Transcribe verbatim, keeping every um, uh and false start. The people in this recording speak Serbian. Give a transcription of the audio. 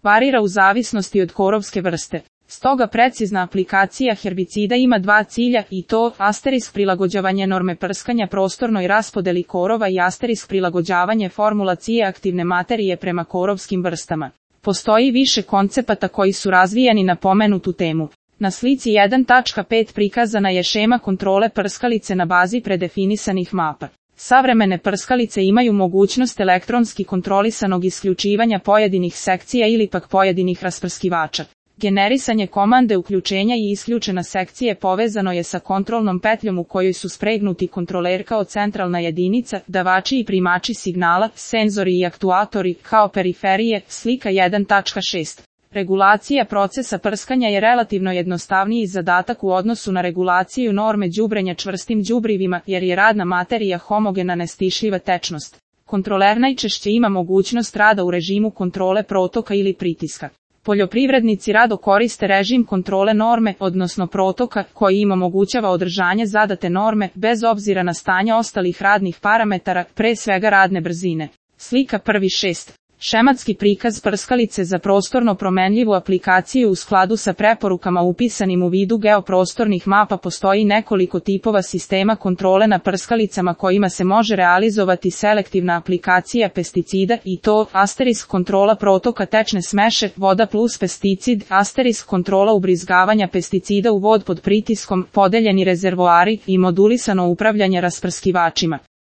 varira u zavisnosti od korovske vrste. Stoga precizna aplikacija herbicida ima dva cilja i to, asterisk prilagođavanje norme prskanja prostornoj raspodeli korova i asterisk prilagođavanje formulacije aktivne materije prema korovskim vrstama. Postoji više koncepata koji su razvijani na pomenutu temu. Na slici jedan tačka pet prikazana je šema kontrole prskalice na bazi predefinisanih mapa. Savremene prskalice imaju mogućnost elektronski kontrolisanog isključivanja pojedinih sekcija ili pak pojedinih rasprskivača. Generisanje komande uključenja i isključena sekcije povezano je sa kontrolnom petljom u kojoj su spregnuti kontroler kao centralna jedinica, davači i primači signala, senzori i aktuatori, kao periferije, slika jedan tačka šest. Regulacija procesa prskanja je relativno jednostavniji zadatak u odnosu na regulaciju norme đubrenja čvrstim đubrivima jer je radna materija homogena nestišljiva tečnost. Kontroler najčešće ima mogućnost rada u režimu kontrole protoka ili pritiska. Poljoprivrednici rado koriste režim kontrole norme, odnosno protoka, koji im omogućava održanje zadate norme, bez obzira na stanje ostalih radnih parametara, pre svega radne brzine. Slika prvi šest. Šematski prikaz prskalice za prostorno promenljivu aplikaciju u skladu sa preporukama upisanim u vidu geoprostornih mapa. Postoji nekoliko tipova sistema kontrole na prskalicama kojima se može realizovati selektivna aplikacija pesticida i to, asterisk kontrola protoka tečne smeše, voda plus pesticid, asterisk kontrola ubrizgavanja pesticida u vod pod pritiskom, podeljeni rezervoari i modulisano upravljanje rasprskivačima.